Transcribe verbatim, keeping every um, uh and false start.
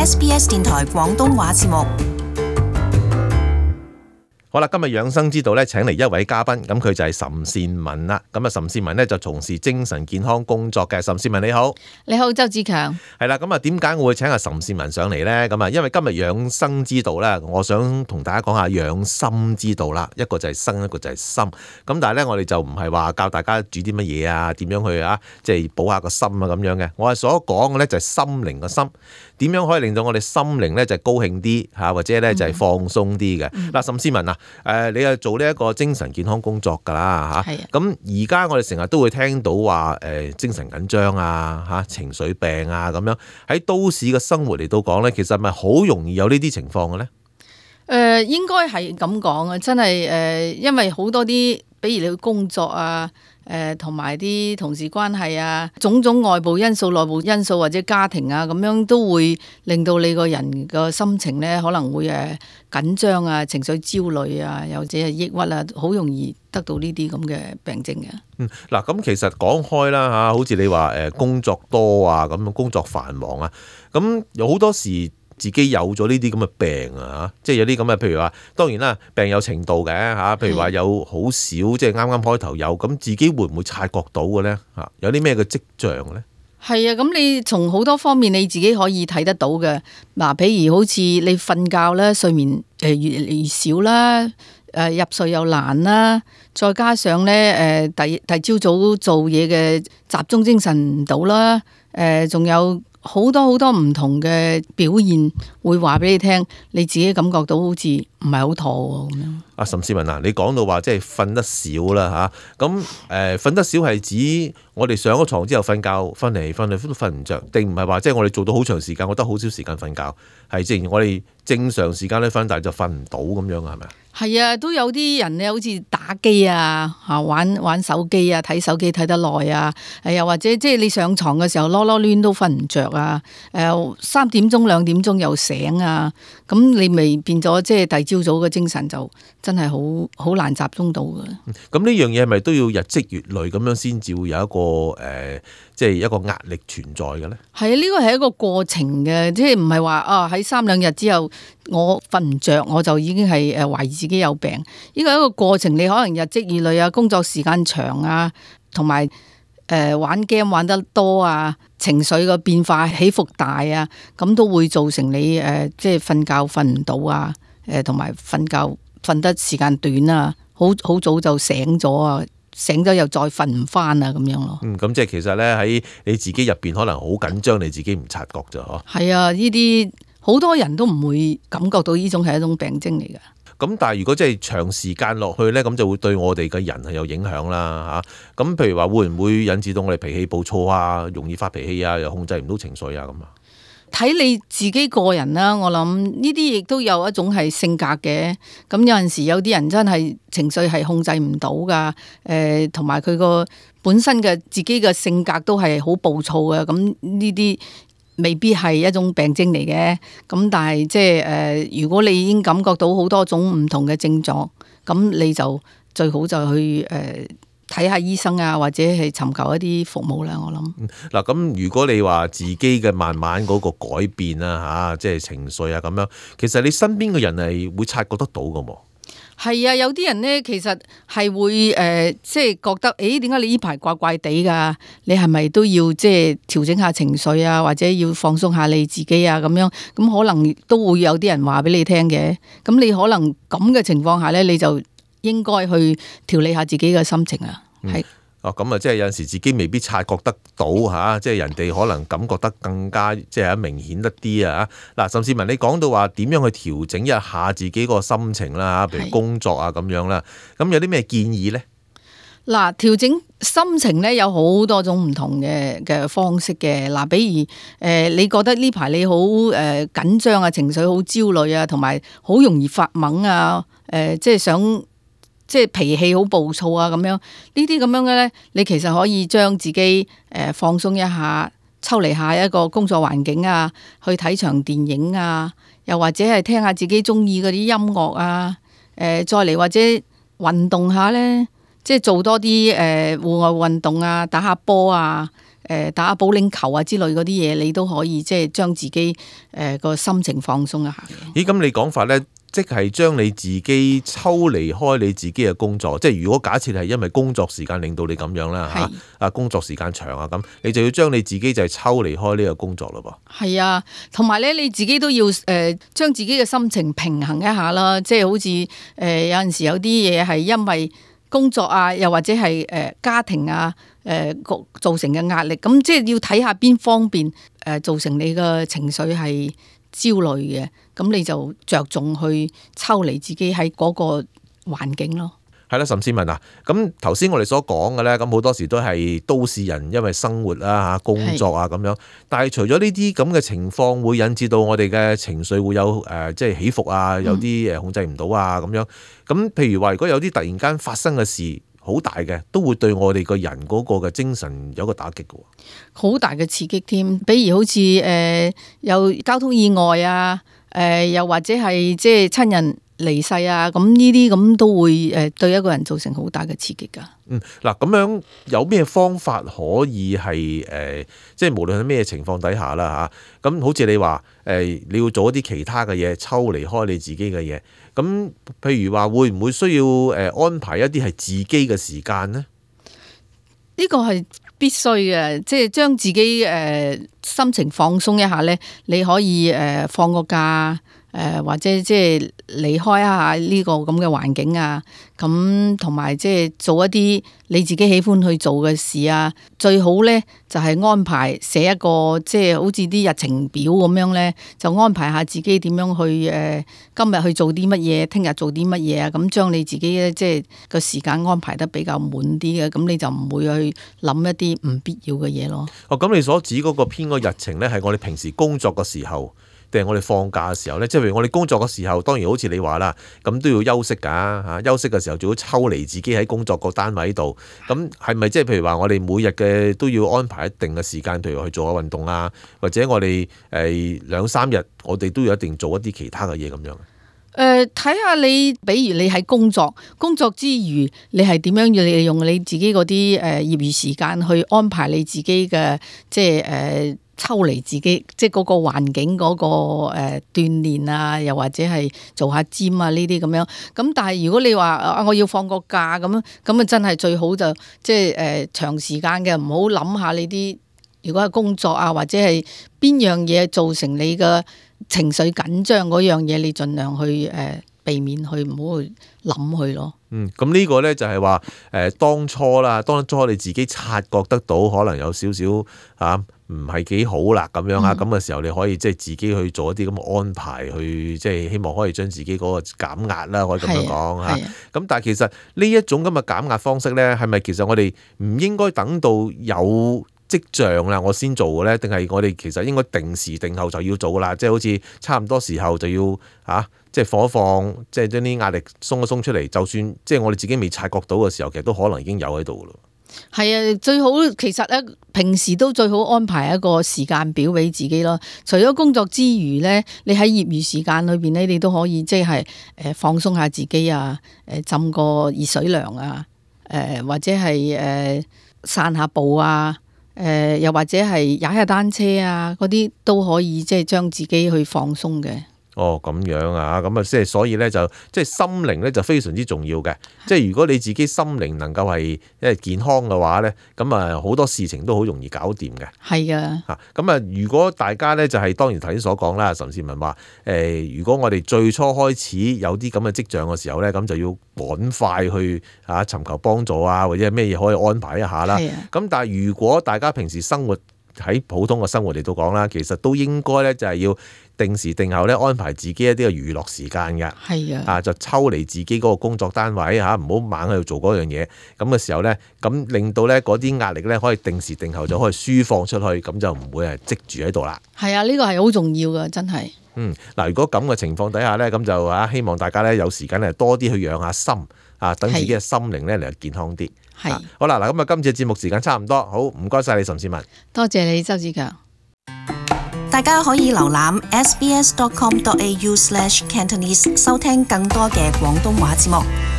S B S 電台廣東話節目。好啦，今日養生之道咧，請嚟一位嘉賓，咁佢就係岑倩雯啦。咁啊，岑倩雯咧就從事精神健康工作嘅。岑倩雯你好，你好，周志強。係啦，咁啊，點解我會請阿岑倩雯上嚟呢？咁啊，因為今日養生之道咧，我想同大家講下養心之道啦。一個就係生，一個就係心。咁但係咧，我哋就唔係話教大家煮啲乜嘢啊，點樣去啊，即係補下個心啊咁樣嘅。我係所講嘅咧就係心靈個心，點樣可以令到我哋心靈咧就係高興啲嚇，或者咧就係放鬆啲嘅。嗱、嗯，岑倩雯啊。誒、呃，你係做呢一個精神健康工作㗎啦嚇，咁而家我哋成日都會聽到話誒、呃、精神緊張啊嚇、情緒病啊咁樣，喺都市嘅生活嚟到講咧，其實係咪好容易有呢啲情況嘅咧？誒、呃，應該係咁講啊，真係誒、呃，因為好多啲，比如你去工作啊。誒同埋啲同事關係啊，種種外部因素、內部因素或者家庭啊，咁樣都會令到你個人個心情咧可能會誒緊張啊、情緒焦慮啊，又或者係抑鬱啊，好容易得到呢啲咁嘅病症嘅。嗯，嗱，咁其實講開啦嚇，好似你話誒工作多啊，咁工作繁忙啊，咁有好多時。自己有咗呢啲咁嘅病啊，即係有啲咁嘅，譬如話，當然啦，病有程度嘅嚇，譬如話有好少，即係啱啱開頭有，咁自己會唔會察覺到嘅咧嚇？有啲咩嘅跡象咧？係啊，咁你從好多方面你自己可以睇得到嘅。嗱，譬如好似你瞓覺咧，睡眠誒越嚟越少啦，誒入睡又難啦，再加上咧誒第第朝早做嘢嘅集中精神唔到啦，誒仲有。好多好多唔同嘅表現會話俾你聽，你自己感覺到好似唔係好妥咁樣。阿岑倩雯啊，你講到話即係瞓得少啦嚇，咁誒瞓得少係指我哋上咗床之後瞓覺，瞓嚟瞓去都瞓唔着，定唔係話即係我哋做到好長時間，我得好少時間瞓覺，係正如我哋正常時間咧瞓，但係就瞓唔到咁樣啊？係咪啊？係啊，都有啲人咧，好似打機啊，嚇玩玩手機啊，睇手機睇得耐啊，又或者即係你上床嘅時候囉囉攣都瞓唔着啊，誒三點鐘兩點鐘又醒啊，咁你咪變咗即係第朝早嘅精神就真係好好難集中到嘅。咁呢樣嘢係咪都要日積月累咁樣先至會有一個誒、呃，即係一個壓力存在嘅咧？係啊，呢個係一個過程嘅，即係唔係話啊喺三兩日之後我瞓唔着我就已經係誒懷疑自己有病。呢個係一個過程，你可能日積月累啊，工作時間長啊，同埋誒玩 game 玩得多啊，情緒嘅變化起伏大啊，咁都會造成你誒、呃、即係瞓覺瞓唔到啊，誒同埋瞓覺瞓得時間短啊，好好早就醒咗啊，醒咗又再瞓唔翻啊，咁樣咯。嗯，咁即係其實咧喺你自己入邊可能好緊張，你自己唔察覺咋嗬？係啊，呢啲好多人都唔會感覺到呢種係一種病徵嚟㗎。咁但係如果即係長時間落去咧，咁就會對我哋嘅人係有影響啦嚇。咁譬如話會唔會引致到我哋脾氣暴躁啊，容易發脾氣啊，又控制唔到情緒啊咁啊？睇你自己個人啦，我諗呢啲亦都有一種係性格嘅。咁有陣時有啲人真係情緒係控制唔到噶，誒同埋佢個本身嘅自己嘅性格都係好暴躁嘅。咁呢啲未必係一種病徵嚟嘅，咁但係即係誒，如果你已經感覺到好多種唔同嘅症狀，咁你就最好就去誒睇下醫生啊，或者係尋求一啲服務啦。我諗嗱，咁如果你話自己嘅慢慢嗰個改變啊，嚇，即係情緒啊咁樣，其實你身邊嘅人係會察覺得到㗎喎。係啊，有啲人呢，其實係會誒、呃，即係覺得，誒點解你呢排怪怪地㗎？你係咪都要即係調整下情緒啊，或者要放鬆下你自己啊咁樣？咁可能都會有啲人話俾你聽嘅。咁你可能咁嘅情況下呢，你就應該去調理下自己嘅心情啊。係、嗯。哦，咁啊，即係有陣時自己未必察覺得到嚇，即係人哋可能感覺得更加即係明顯得啲啊！嗱，岑倩雯你講到話點樣去調整一下自己個心情啦，譬如工作啊咁樣啦，咁有啲咩建議咧？嗱，調整心情咧有好多種唔同嘅嘅方式嘅。嗱，比如誒、呃，你覺得呢排你好誒緊張啊，情緒好焦慮啊，同埋好容易發懵啊，誒、呃，即係想。即係脾氣好暴躁啊咁樣，呢啲咁樣嘅咧，你其實可以將自己誒放鬆一下，抽離下一個工作環境啊，去睇場電影啊，又或者係聽下自己中意嗰啲音樂啊，誒再嚟或者運動下咧，即係做多啲誒戶外運動啊，打下波啊，誒打下保齡球啊之類嗰啲嘢，你都可以即係將自己誒個心情放鬆一下嘅。咦，咁你講法咧，即係將你自己抽離開你自己嘅工作，即係如果假設係因為工作時間令到你咁樣啦嚇，啊工作時間長啊咁，你就要將你自己就係抽離開呢個工作咯噃。係啊，同埋咧你自己都要誒、呃、將自己嘅心情平衡一下啦，即係好似誒、呃、有陣時有啲嘢係因為工作啊，又或者係誒家庭啊誒個造成嘅壓力，咁即係要睇下邊方面誒造成你嘅情緒係焦慮嘅，咁你就着重去抽離自己喺嗰個環境咯。係啦，岑倩文啊，咁頭先我哋所講嘅咧，咁好多時都係都市人因為生活啊嚇工作啊咁樣，但係除咗呢啲咁嘅情況會引致到我哋嘅情緒會有誒、呃、即係起伏啊，有啲誒控制唔到啊咁樣。咁譬如話，如果有啲突然間發生嘅事好大嘅，都會對我哋個人嗰個嘅精神有個打擊嘅喎。好大嘅刺激添，比如好似誒、呃、有交通意外啊，誒、呃、又或者係即係親人離世啊，咁呢啲咁都會誒對一個人造成好大嘅刺激㗎。嗯，嗱咁樣有咩方法可以係誒、呃，即係無論喺咩情況底下啦嚇，咁、啊、好似你話誒、呃，你要做一啲其他嘅嘢，抽離開你自己嘅嘢，咁譬如話會唔會需要誒安排一啲係自己嘅時間呢？呢個係必須嘅，即係將自己誒、呃、心情放鬆一下咧，你可以誒、呃、放個假。誒、呃、或者即係離開一下呢個咁嘅環境啊，咁同埋即係做一啲你自己喜歡去做嘅事啊，最好咧就係、是、安排寫一個即係好似啲日程表咁樣咧，就安排下自己點樣去誒、呃、今日去做啲乜嘢，聽日做啲乜嘢啊，咁將你自己咧即係個時間安排得比較滿啲嘅，咁你就唔會去諗一啲唔必要嘅嘢咯。哦，咁你所指嗰個編個日程咧，係我哋平時工作嘅時候，定係我哋放假嘅時候咧？即係譬如我哋工作嘅時候，當然好似你話啦，咁都要休息㗎嚇。休息嘅時候最好抽離自己喺工作個單位度。咁係咪即係譬如話我哋每日嘅都要安排一定嘅時間，譬如去做下運動啊，或者我哋誒兩三日我哋都要一定做一啲其他嘅嘢咁樣？誒睇下你，比如你喺工作工作之餘，你係點樣要利用你自己嗰啲誒業餘時間去安排你自己嘅即係誒。呃抽離自己，即係嗰個環境嗰、嗰個誒、呃、鍛鍊啊，又或者係做下 gym 啊呢啲咁樣。咁但係如果你話啊，我要放個假咁樣，咁啊真係最好就即係誒、呃、長時間嘅，唔好諗下你啲。如果係工作啊，或者係邊樣嘢造成你嘅情緒緊張嗰樣嘢，你盡量去誒、呃、避免去，唔好去諗去咯。嗯，咁呢個咧就係話誒當初啦，當初你自己察覺得到可能有少少嚇。唔係幾好啦，咁樣啊，咁嘅時候你可以即係自己去做一啲咁嘅安排，去即係希望可以將自己嗰個減壓啦，可以咁樣講嚇。咁但係其實呢一種咁嘅減壓方式咧，係咪其實我哋唔應該等到有跡象啦，我先做嘅咧？定係我哋其實應該定時定候就要做啦？即係好似差唔多時候就要嚇，即係放一放，即係將啲壓力鬆一鬆出嚟。就算即係我哋自己未察覺到嘅時候，其實都可能已經有喺度咯。係啊，最好其實咧，平時都最好安排一個時間表俾自己咯。除咗工作之餘咧，你喺業餘時間裏邊咧，你都可以即係誒放鬆下自己啊，誒浸個熱水涼啊，誒或者係誒散下步啊，誒又或者係踩下單車啊，嗰啲都可以即係將自己去放鬆嘅。哦，咁樣啊，咁啊，即係所以咧，就即係心靈咧就非常之重要嘅。即係如果你自己心靈能夠係因為健康嘅話咧，咁啊好多事情都好容易搞掂嘅。係啊，嚇咁啊，如果大家咧就係、是、當然頭先所講啦，岑倩文話誒、呃，如果我哋最初開始有啲咁嘅跡象嘅時候咧，咁就要趕快去啊尋求幫助啊，或者係咩嘢可以安排一下啦。咁、啊、但係如果大家平時生活喺普通嘅生活嚟到講啦，其實都應該咧就係要定時定候咧安排自己一啲嘅娛樂時間嘅。係啊，啊就抽離自己嗰個工作單位嚇，唔好猛喺度做嗰樣嘢。咁嘅時候咧，咁令到咧嗰啲壓力咧可以定時定候就可以抒放出去，咁就唔會係積住喺度啦。係啊，呢個係好重要㗎，真係。嗯，嗱，如果咁嘅情況底下咧，咁就啊希望大家咧有時間咧多啲去養下心啊，等自己嘅心靈咧嚟健康啲。係、啊、好啦，嗱咁啊，今次嘅節目時間差唔多，好唔該晒你岑倩文，多謝你周子強。大家可以瀏覽 s b s dot com dot a u slash cantonese 收聽更多嘅廣東話節目。